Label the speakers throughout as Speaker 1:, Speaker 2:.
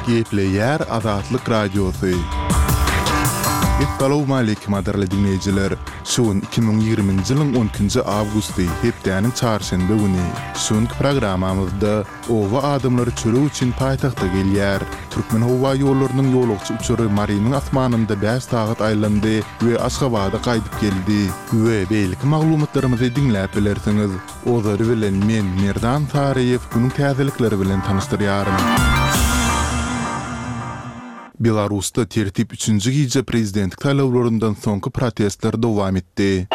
Speaker 1: Gepleýär Azatlyk Radiosy. Essalawmaleýkim gadyrly diňleýjiler! Şu gün 2020-nji ýylyň on ikinji awgusty, hepdäniň çarşenbe güni. Şu günki programmamyzda oba adamlary çörek üçin paýtagta gelýär. Türkmenhowaýollarynyň ýolagçy uçary Marynyň asmanynda bäş sagat aýlandy we Aşgabada gaýdyp geldi we beýleki maglumatlarymyzy diňläp bilersiňiz. Ozaly bilen men, Merdan Saryýew günüň täzelikleri bilen tanyşdyrýaryn. Belarusda tertip üçünji gije prezidentlik saýlawlaryndan soňky protestler dowam etdi.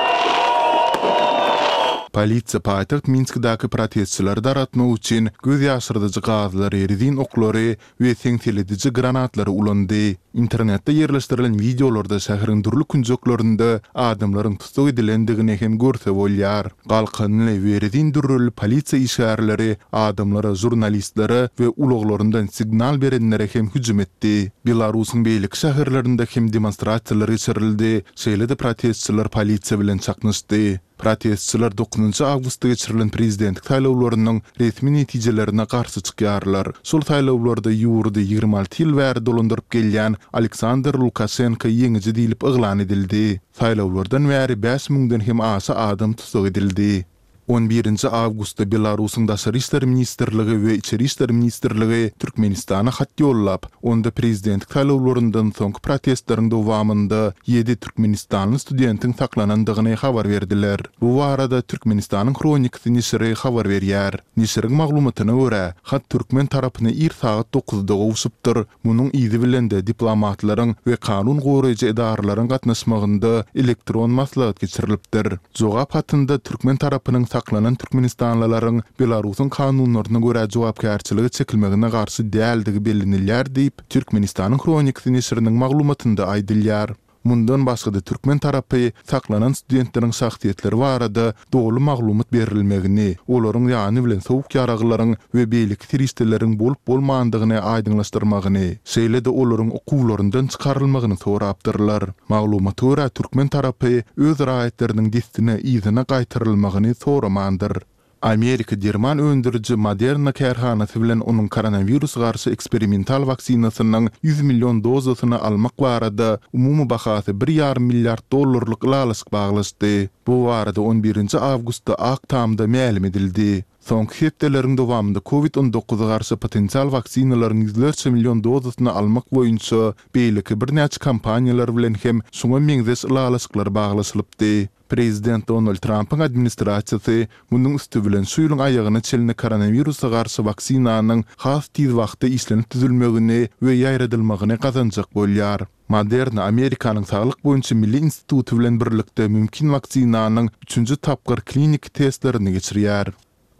Speaker 1: Polisiýa paýtagt Minskidäki protestçileri dargatmak üçin göz ýaşyrdyjy gazlary, rezin oklary we seňselediji granatlary ulandy. Internetde ýerleşdirilen wideolarda şäheriň dürli künjeklerinde adamlaryň tussag edilendigini hem görse bolýar. Galkanly we rezin dürreli polisiýa işgärleri adamlara, žurnalistlere we ulaglaryndan signal berenlere hem hüjüm etdi. Belarusyň beýleki şäherlerinde hem demonstrasiýalar geçirildi, şeýle-de protestçiler polisiýa bilen çaknyşdy. Protestçiler dokuzynjy awgustda geçirilen prezidentlik saýlawlarynyň resmi netijelerine garşy çykýarlar. Şol saýlawlarda ýurdy 26 ýyl bäri dolandyryp gelýän Aleksandr Lukaşenko ýeňiji diýlip yglan edildi. Saýlawlardan bäri bäş müňden hem aşa adam tussag edildi. On birinji awgustda Belarusyň Daşary işler ministrligi we Içeri işler ministrligi Türkmenistana hat ýollap, onda prezidentlik saýlawlaryndan soňky protestleriň dowamynda ýedi türkmenistanly studentiň saklanandygyny habar berdiler. Bu barada Türkmenistanyň Hronikasy neşiri habar berýär. Neşiriň maglumatyna görä, hat türkmen tarapyna ir sagat dokuzda gowşupdyr, munuň yzy bilen-de diplomatlaryň we kanun goraýjy edaralaryň gatnaşmagynda elektron maslahat geçirilipdir. Jogap hatynda türkmen tarapynyň saklanan türkmenistanlylaryň Belarusyň kanunlaryna görä jogapkärçilige çekilmegine garşy däldigi bellenilýär diýip, Türkmenistanyň Hronikasy neşiriniň maglumatynda aýdylýar. Mundan başga-da türkmen tarapy saklanan studentleriň şahsyýetleri barada doly maglumat berilmegini, olaryň ýany bilen sowuk ýaraglaryň we beýleki serişdeleriň bolup-bolmandygyny aýdyňlaşdyrmagyny, şeýle-de olaryň okuwlaryndan çykarylmagyny sorapdyrlar. Maglumata görä, türkmen tarapy öz raýatlarynyň dessine yzyna gaýtarylmagyny soramandyr. Amerika derman öndüriji Moderna kärhanasy bilen onuň koronawirus garşy eksperimental waksinasynyň 100 million dozasyny almak barada umumy bahasy bir ýarym milliard dollarlyk ylalaşyk baglaşdy. Bu barada on birinji awgustda Ak Tamda mälim edildi. Soňky hepdeleriň dowamynda Covid 19 garşy potensial waksinalaryň ýüzlerçe million dozasyny almak boýunça beýleki birnäçe kompaniýalar bilen hem şuňa meňzeş ylalaşyklar baglaşylypdy. Prezident Donald Trampyň administrasiýasy munuň üsti bilen şu ýylyň aýagyna çenli koronawirusa garşy waksinanyň has tiz wagtda işlenip düzülmegini we ýaýradylmagyny gazanjak bolýar. Moderna Amerikanyň Saglyk boýunça milli instituty bilen birlikde mümkin waksinanyň üçünji tapgyr kliniki testlerini geçirýär.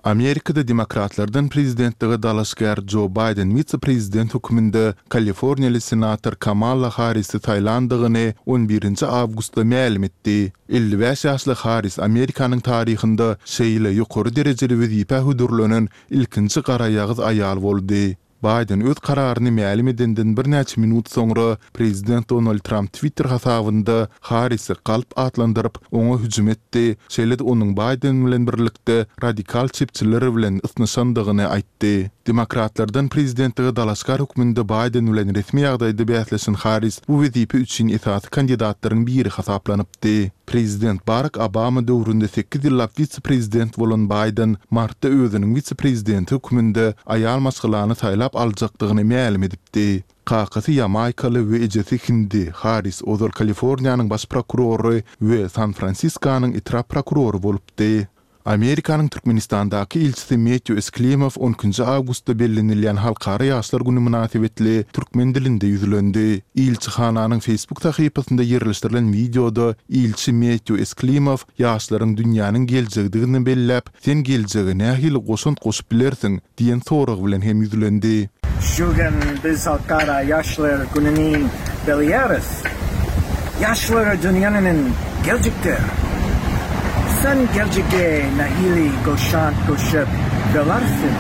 Speaker 1: Amerikada demokratlardan prezidentlige dalaşgär Jo Baýden wise-prezident hökmünde kaliforniýaly senator Kamala Harrisi saýlandygyny on birinji awgustda mälim etdi. 55 ýaşly Harris Amerikanyň taryhynda şeýle ýokary derejeli wezipä hödürlenen ilkinji garaýagyz aýal boldy. Baýden öz kararyny mälim edenden birnäçe minut soňra prezident Donald Tramp Twitter hasabynda Harrisi galp atlandyryp, oňa hüjüm etdi, şeýle-de onuň Baýden bilen birlikde radikal çepçiler bilen ysnyşandygyny aýtdy. Demokratlardan prezidentlige dalaşgär hökmünde Baýden bilen resmi ýagdaýda bäsleşen Harris bu wezipe üçin esasy kandidatlaryň biri hasaplanypdy. Prezident Barak Obama döwründe sekiz ýyllap wise-prezident bolan Baýden martda özüniň wise-prezidenti hökmünde aýal maşgalany saýlap aljakdygyny mälim edipdi. Kakasy ýamaýkaly we ejesi hindi Harris ozal Kaliforniýanyň baş prokurory we San-Fransiskonyň etrap prokurory bolupdy. Amerikanyň Türkmenistandaky ilçisi Metýu Esklimow on ikinji awgustda bellenilýän Halkara ýaşlar güni mynasybetli türkmen dilinde ýüzlendi. Ilçihananyň Facebook sahypasynda ýerleşdirilen wideoda ilçi Metýu Esklimow ýaşlaryň dünýäniň geljegidigini belläp, Sen geljege nähili goşant goşup bilersiň? diýen sorag bilen hem ýüzlendi.
Speaker 2: Şu gün biz Halkara ýaşlar gününi belleýäris. Ýaşlar dünýäniň geljekdir. Sen geljege nähili goşant goşup bilersiň?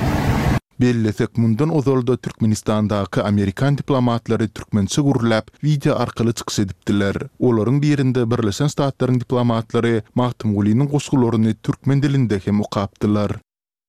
Speaker 1: Bellesek, mundan ozal-da Türkmenistandaky amerikan diplomatlary türkmençe gürläp, wideo arkaly çykyş edipdiler. Olaryň birinde Birleşen Ştatlaryň diplomatlary Magtymgulynyň goşgularyny türkmen dilinde hem okapdylar.